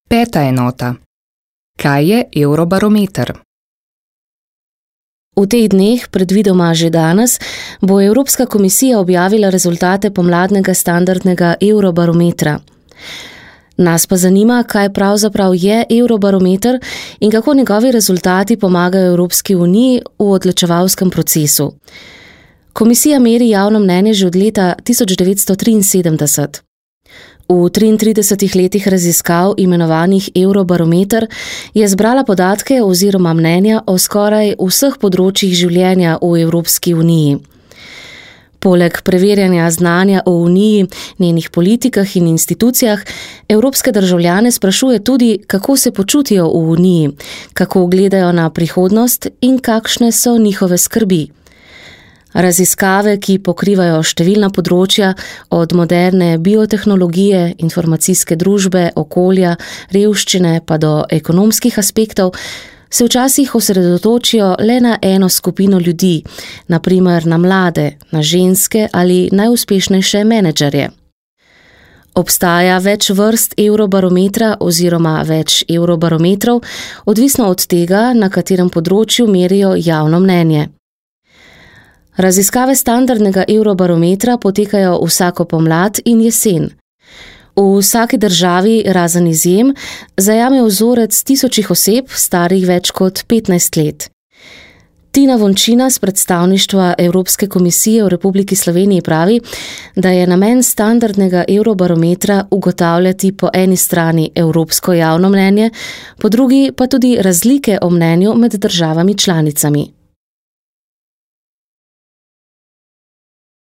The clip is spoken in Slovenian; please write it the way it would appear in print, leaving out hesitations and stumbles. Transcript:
Peta enota. Kaj je Eurobarometer? V teh dneh, predvidoma že danes, bo Evropska komisija objavila rezultate pomladnega standardnega Eurobarometra. Nas pa zanima, kaj pravzaprav je Eurobarometer in kako njegovi rezultati pomagajo Evropski uniji v odločevalskem procesu. Komisija meri javno mnenje že od leta 1973. V 33 letih raziskav, imenovanih Eurobarometer, je zbrala podatke oziroma mnenja o skoraj vseh področjih življenja v Evropski uniji. Poleg preverjanja znanja o uniji, njenih politikah in institucijah, evropske državljane sprašuje tudi, kako se počutijo v uniji, kako gledajo na prihodnost in kakšne so njihove skrbi. Raziskave, ki pokrivajo številna področja, od moderne biotehnologije, informacijske družbe, okolja, revščine pa do ekonomskih aspektov, se včasih osredotočijo le na eno skupino ljudi, na primer na mlade, na ženske ali najuspešnejše menedžerje. Obstaja več vrst Eurobarometra oziroma več Eurobarometrov, odvisno od tega, na katerem področju merijo javno mnenje. Raziskave standardnega Eurobarometra potekajo vsako pomlad in jesen. V vsaki državi, razen izjem, zajame vzorec tisočih oseb, starih več kot 15 let. Tina Vončina z predstavništva Evropske komisije v Republiki Sloveniji pravi, da je namen standardnega Eurobarometra ugotavljati po eni strani evropsko javno mnenje, po drugi pa tudi razlike o mnenju med državami članicami.